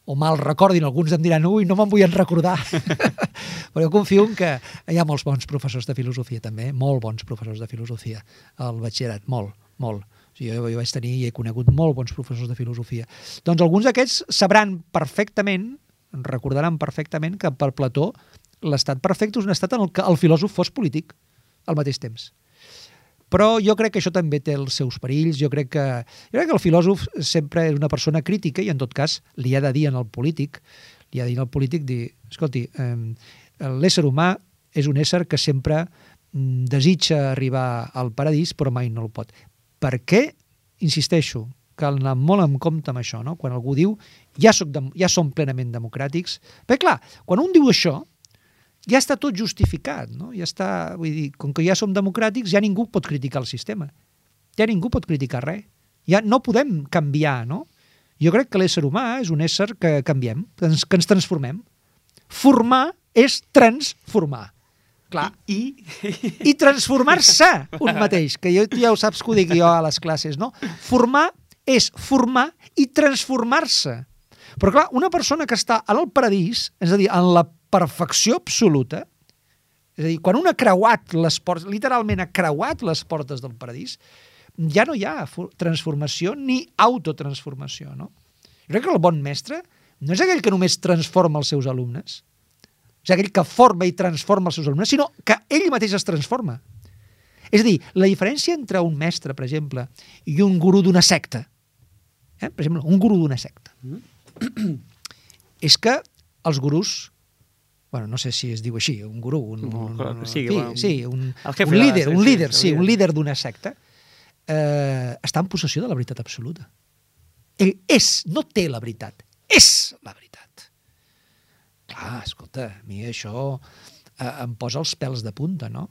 o mal recordin, alguns em diran, ui, no me'n vull recordar. Però jo confio en que hi ha molts bons professors de filosofia també, molt bons professors de filosofia al batxillerat, molt. O sigui, jo vaig tenir i he conegut molt bons professors de filosofia. Doncs alguns d'aquests sabran perfectament, recordaran perfectament que per Plató l'estat perfecte és un estat en el que el filòsof fos polític al mateix temps. Però jo crec que això també té els seus perills. Jo crec que el filòsof sempre és una persona crítica i, en tot cas, li ha de dir al polític, escolti, l'ésser humà és un ésser que sempre desitja arribar al paradís, però mai no el pot. Per què? Insisteixo, cal anar molt en compte amb això, no? Quan algú diu ja som plenament democràtics. Perquè, clar, quan un diu això, ja està tot justificat, no? Ja està, vull dir, com que ja som democràtics, ja ningú pot criticar el sistema. Ja ningú pot criticar res. Ja no podem canviar, no? Jo crec que l'ésser humà és un ésser que canviem, que ens transformem. Formar és transformar. Clar. I transformar-se un mateix, que ja ho saps que ho dic jo a les classes, no? Formar és formar i transformar-se. Però clar, una persona que està en el paradís, és a dir, en la perfecció absoluta, és a dir, quan un ha creuat les portes, literalment ha creuat les portes del paradís, ja no hi ha transformació ni autotransformació, no? Jo crec que el bon mestre no és aquell que només transforma els seus alumnes, és aquell que forma i transforma els seus alumnes, sinó que ell mateix es transforma. És a dir, la diferència entre un mestre, per exemple, i un gurú d'una secta, per exemple, un gurú d'una secta, és que els gurús, bueno, no sé si es diu així, un gurú, un líder d'una secta, està en possessió de la veritat absoluta. Ell no té la veritat, és la veritat. Clar, escolta, a mi això em posa els pèls de punta, no?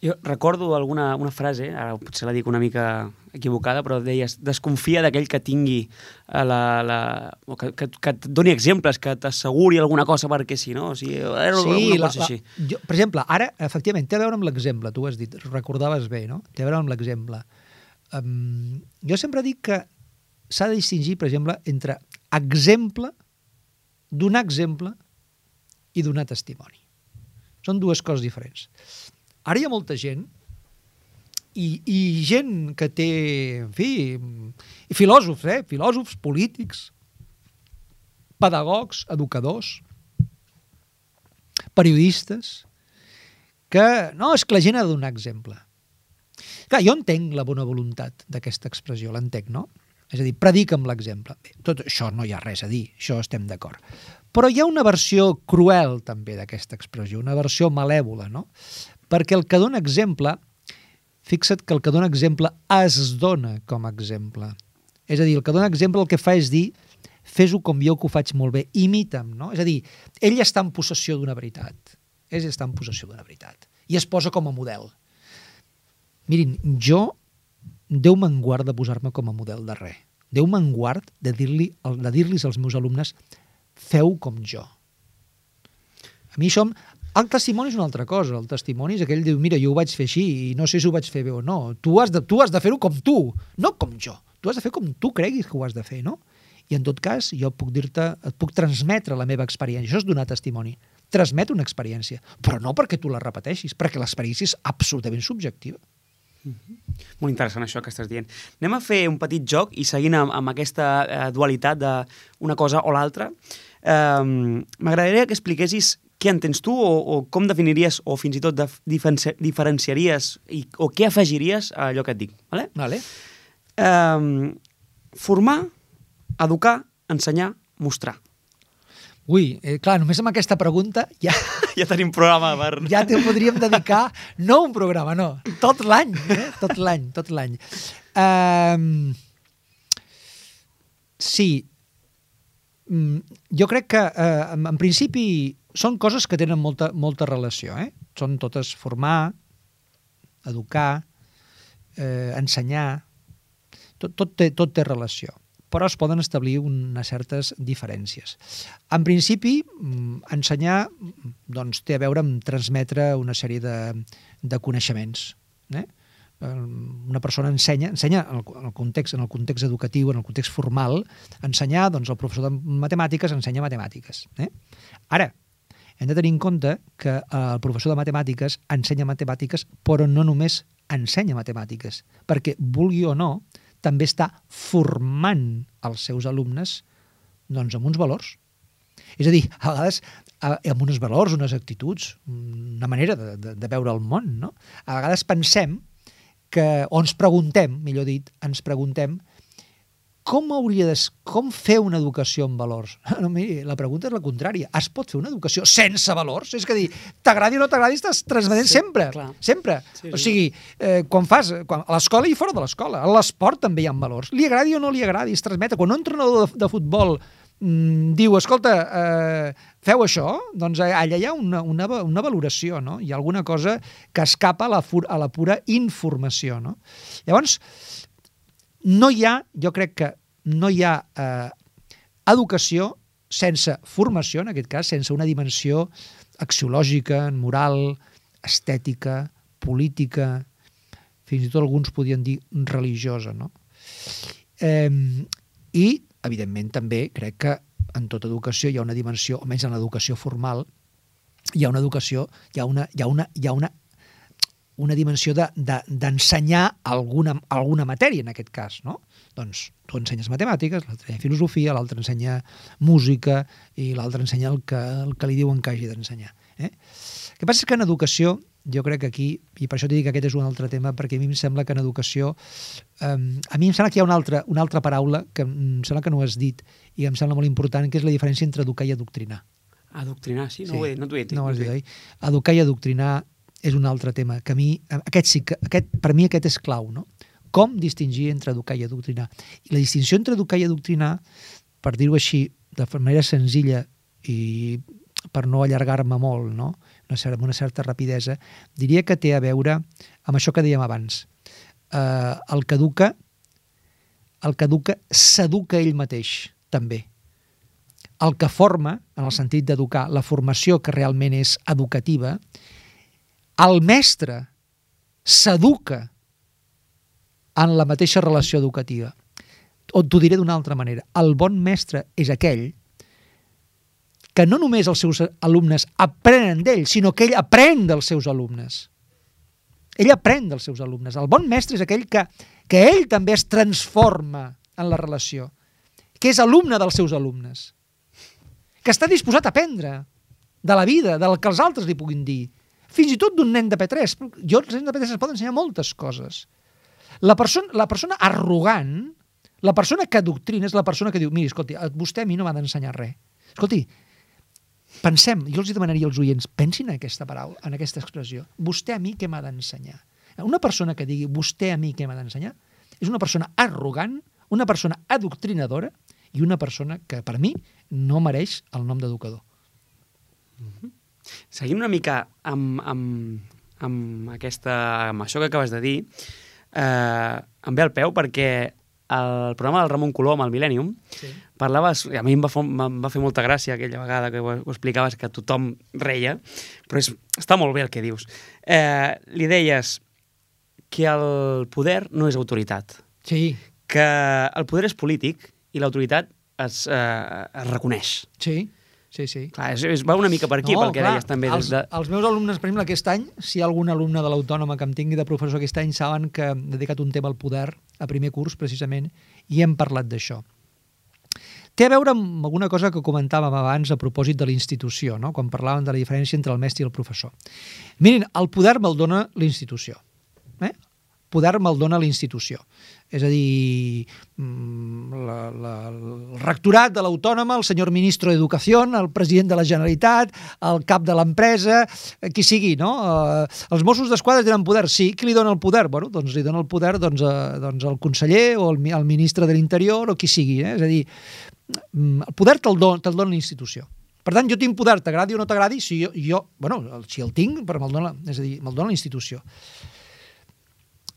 Jo recordo una frase, ara potser la dic una mica equivocada, però deies, desconfia d'aquell que tingui que et doni exemples, que t'asseguri alguna cosa perquè sí, no? O sigui, una cosa així. Per exemple, ara, efectivament, té a veure amb l'exemple, tu ho has dit, recordaves bé, no? Té a veure amb l'exemple. Jo sempre dic que s'ha de distingir, per exemple, entre exemple, donar exemple i donar testimoni. Són dues coses diferents. Ara hi ha molta gent i gent que té, en fi, filòsofs, polítics, pedagogs, educadors, periodistes, que no, és que la gent ha de donar exemple. Clar, jo entenc la bona voluntat d'aquesta expressió, l'entenc, no? És a dir, predica amb l'exemple. Tot això no hi ha res a dir, això estem d'acord. Però hi ha una versió cruel també d'aquesta expressió, una versió malèvola, no? Perquè el que dona exemple, fixa't que el que dona exemple es dona com a exemple. És a dir, el que dona exemple el que fa és dir, fes-ho com jo que ho faig molt bé, imita'm, no? És a dir, ell està en possessió d'una veritat. Ell està en possessió d'una veritat. I es posa com a model. Mirin, Déu me'n guard de posar-me com a model de res. Déu me'n guard de dir-los als meus alumnes, feu com jo. A mi això... El testimoni és una altra cosa. El testimoni és aquell que diu, mira, jo ho vaig fer així i no sé si ho vaig fer bé o no. Tu has de fer-ho com tu, no com jo. Tu has de fer com tu creguis que ho has de fer, no? I en tot cas, jo et puc transmetre la meva experiència. Això és donar testimoni. Transmet una experiència. Però no perquè tu la repeteixis, perquè l'experiència és absolutament subjectiva. Molt interessant això que estàs dient. Anem a fer un petit joc i seguint amb aquesta dualitat d'una cosa o l'altra. M'agradaria que expliquessis què entens tu o com definiries o fins i tot diferenciaries o què afegiries a allò que et dic. Vale. Formar, educar, ensenyar, mostrar. Ui, clar, només amb aquesta pregunta ja tenim programa per... Ja te podríem dedicar, no un programa, no, tot l'any, tot l'any. Sí, jo crec que en principi són coses que tenen molta relació, Són totes formar, educar, ensenyar, tot té relació, però es poden establir unes certes diferències. En principi, ensenyar doncs, té a veure amb transmetre una sèrie de coneixements. Una persona ensenya en el context educatiu, en el context formal, ensenyar, doncs el professor de matemàtiques ensenya matemàtiques. Ara, hem de tenir en compte que el professor de matemàtiques ensenya matemàtiques, però no només ensenya matemàtiques, perquè, vulgui o no, també està formant els seus alumnes doncs, amb uns valors. És a dir, a vegades amb uns valors, unes actituds, una manera de veure el món, no? A vegades pensem o ens preguntem, millor dit, com fer una educació amb valors? No, miri, la pregunta és la contrària. Es pot fer una educació sense valors? És que dir, t'agradi o no t'agradi, estàs transmetent sempre. Sempre. Sí. O sigui, quan a l'escola i fora de l'escola, a l'esport també hi ha valors. Li agradi o no li agradi, es transmet. Quan un entrenador de futbol diu, escolta, feu això, doncs allà hi ha una valoració, no? Hi ha alguna cosa que escapa a la pura informació, no? Llavors, jo crec que no hi ha educació sense formació, en aquest cas, sense una dimensió axiològica, moral, estètica, política, fins i tot alguns podien dir religiosa, no? I, evidentment, també crec que en tota educació hi ha una dimensió, almenys en l'educació formal, hi ha una educació, hi ha una dimensió d'ensenyar alguna matèria, en aquest cas, no? Doncs tu ensenyes matemàtiques, l'altre ensenya filosofia, l'altre ensenya música i l'altre ensenya el que li diuen que hagi d'ensenyar. El que passa és que en educació, jo crec que aquí, i per això t'he dit que aquest és un altre tema, perquè a mi em sembla que en educació, a mi em sembla que hi ha una altra paraula que em sembla que no ho has dit i em sembla molt important, que és la diferència entre educar i adoctrinar. Adoctrinar, sí? No t'ho he dit. No ho has dit, oi? Educar i adoctrinar és un altre tema, que a mi, per mi aquest és clau, no? Com distingir entre educar i adoctrinar? I la distinció entre educar i adoctrinar, per dir-ho així, de manera senzilla i per no allargar-me molt, no? Amb una certa rapidesa, diria que té a veure amb això que dèiem abans. El que educa s'educa ell mateix, també. El que forma, en el sentit d'educar, la formació que realment és educativa, el mestre s'educa en la mateixa relació educativa. O t'ho diré d'una altra manera. El bon mestre és aquell que no només els seus alumnes aprenen d'ell, sinó que ell aprèn dels seus alumnes. Ell aprèn dels seus alumnes. El bon mestre és aquell que ell també es transforma en la relació, que és alumne dels seus alumnes, que està disposat a aprendre de la vida, del que els altres li puguin dir, fins i tot d'un nen de P3. Els nens de P3 es poden ensenyar moltes coses. La persona arrogant, la persona que adoctrina, és la persona que diu, miri, escolti, vostè a mi no m'ha d'ensenyar res. Escolti, pensem, jo els demanaria als oients, pensin en aquesta paraula, en aquesta expressió. Vostè a mi què m'ha d'ensenyar? Una persona que digui vostè a mi què m'ha d'ensenyar és una persona arrogant, una persona adoctrinadora i una persona que, per mi, no mereix el nom d'educador. Seguint una mica amb això que acabes de dir, em ve al peu perquè el programa del Ramon Colom, el Millennium, parlaves, a mi em va fer molta gràcia aquella vegada que ho explicaves, que tothom reia, però està molt bé el que dius. Li deies que el poder no és autoritat, que el poder és polític i l'autoritat es reconeix. Sí. sí. Clar, va una mica per aquí, pel que deies també. Els meus alumnes, per exemple, aquest any, si hi ha algun alumne de l'Autònoma que em tingui de professor aquest any, saben que hem dedicat un tema al poder, a primer curs, precisament, i hem parlat d'això. Té a veure amb alguna cosa que comentàvem abans a propòsit de la institució, no? Quan parlàvem de la diferència entre el mestre i el professor. Mirin, el poder me'l dona l'institució. Poder me'l dona l'institució. És a dir, el rectorat de l'Autònoma, el senyor ministre d'Educació, el president de la Generalitat, el cap de l'empresa, qui sigui, no? Els Mossos d'Esquadra tenen poder, sí. Qui li dona el poder? Bueno, doncs li dona el poder el conseller o el ministre de l'Interior o qui sigui. És a dir, el poder te'l dona la institució. Per tant, jo tinc poder, t'agradi o no t'agradi, si el tinc, però me'l dona la institució.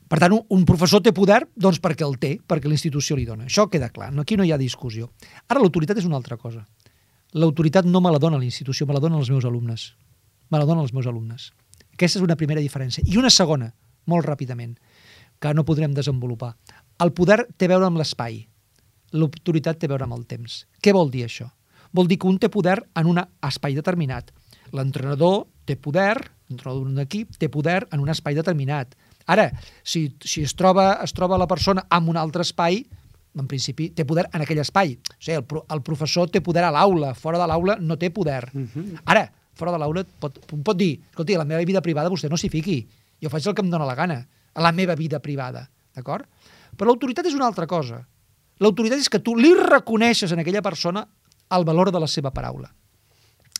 Per tant, un professor té poder doncs perquè el té, perquè la institució li dona. Això queda clar, aquí no hi ha discussió. Ara, l'autoritat és una altra cosa. L'autoritat no me la dona la institució, me la donen els meus alumnes. Me la donen els meus alumnes. Aquesta és una primera diferència. I una segona, molt ràpidament, que no podrem desenvolupar. El poder té a veure amb l'espai. L'autoritat té a veure amb el temps. Què vol dir això? Vol dir que un té poder en un espai determinat. L'entrenador té poder, l'entrenador d'un equip té poder en un espai determinat. Ara, si es troba la persona en un altre espai, en principi té poder en aquell espai. O sigui, el professor té poder a l'aula, fora de l'aula no té poder. Ara, fora de l'aula pot dir, escolti, a la meva vida privada vostè no s'hi fiqui, jo faig el que em dóna la gana, a la meva vida privada, d'acord? Però l'autoritat és una altra cosa. L'autoritat és que tu li reconeixes a aquella persona el valor de la seva paraula.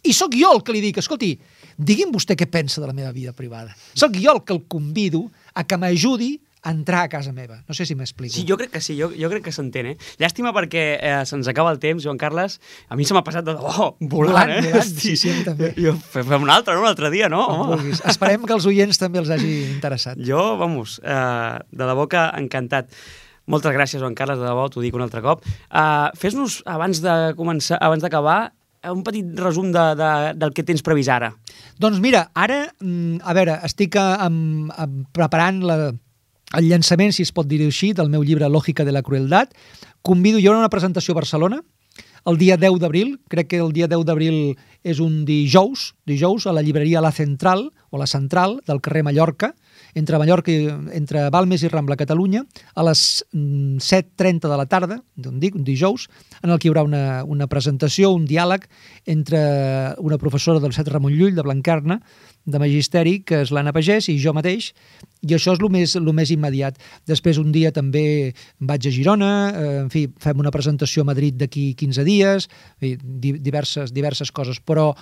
I sóc jo el que li dic, escolti, digui'm vostè què pensa de la meva vida privada. Sóc jo el que el convido a que m'ajudi a entrar a casa meva. No sé si m'explico. Sí, jo crec que sí, jo crec que s'entén, Llàstima perquè se'ns acaba el temps, Joan Carles. A mi se m'ha passat volant, Sí, a mi també. Fem un altre dia, no? Esperem que els oients també els hagi interessat. Jo, de debò que encantat. Moltes gràcies, Joan Carles, de debò, t'ho dic un altre cop. Fes-nos, abans d'acabar, un petit resum del que tens previst ara. Doncs mira, ara, a veure, estic preparant el llançament, si es pot dir així, del meu llibre Lógica de la Crueldad. Hi haurà una presentació a Barcelona el dia 10 d'abril, crec que el dia 10 d'abril és un dijous a la llibreria La Central, o La Central, del carrer Mallorca, entre Balmes i Rambla, Catalunya, a les 7:30 de la tarda, un dijous, en el que hi haurà una presentació, un diàleg entre una professora del CET Ramon Llull, de Blanquerna, de Magisteri, que és l'Anna Pagès, i jo mateix, i això és el més immediat. Després un dia també vaig a Girona, en fi, fem una presentació a Madrid d'aquí 15 dies, diverses coses, però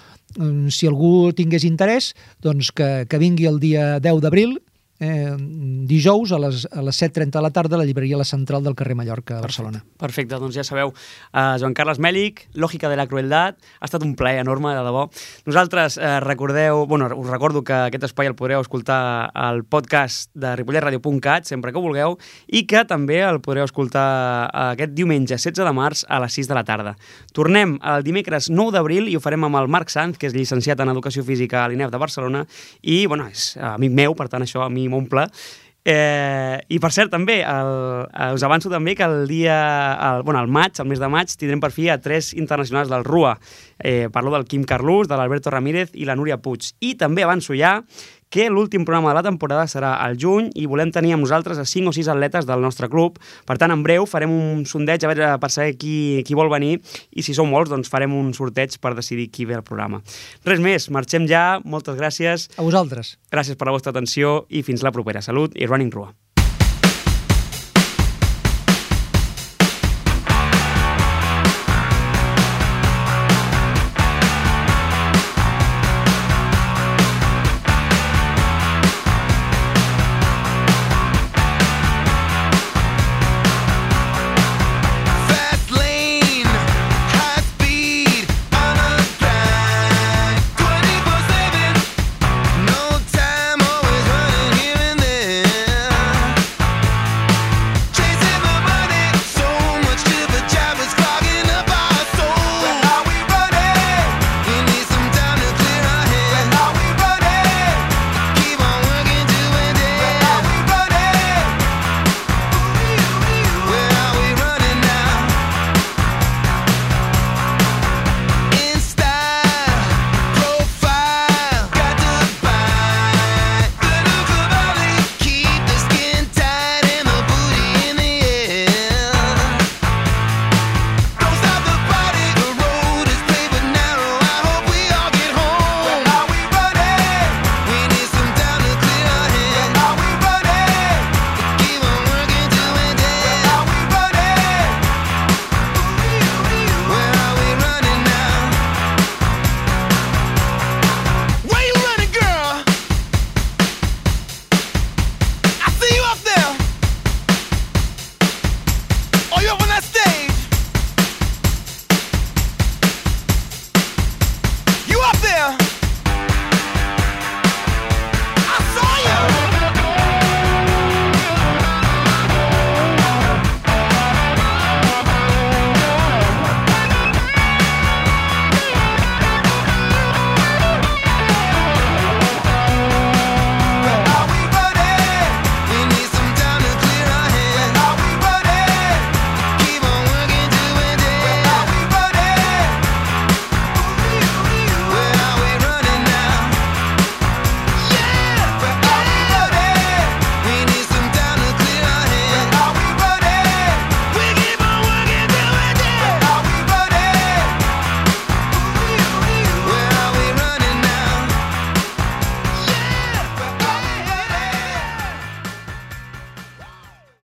si algú tingués interès, doncs que vingui el dia 10 d'abril, dijous a les 7:30 de la tarda a la llibreria La Central del carrer Mallorca, a Barcelona. Perfecte, doncs ja sabeu, Joan Carles Mèlich, Lógica de la Crueldad, ha estat un plaer enorme, de debò. Nosaltres us recordo que aquest espai el podreu escoltar al podcast de ripolletradio.cat, sempre que vulgueu, i que també el podreu escoltar aquest diumenge 16 de març a les 6 de la tarda. Tornem el dimecres 9 d'abril i ho farem amb el Marc Sanz, que és llicenciat en Educació Física a l'INEF de Barcelona i, és amic meu, per tant això a mi m'omple. I per cert també us avanço també que al mes de maig tindrem per fi a 3 internacionals del RUA. Parlo del Quim Carlús, de l'Alberto Ramírez i la Núria Puig. I també avanço ja que l'últim programa de la temporada serà al juny i volem tenir amb nosaltres a 5 o 6 atletes del nostre club. Per tant, en breu farem un sondeig per saber qui vol venir i si són molts, doncs farem un sorteig per decidir qui ve al programa. Res més, marxem ja. Moltes gràcies. A vosaltres. Gràcies per la vostra atenció i fins la propera. Salut i Running Rua.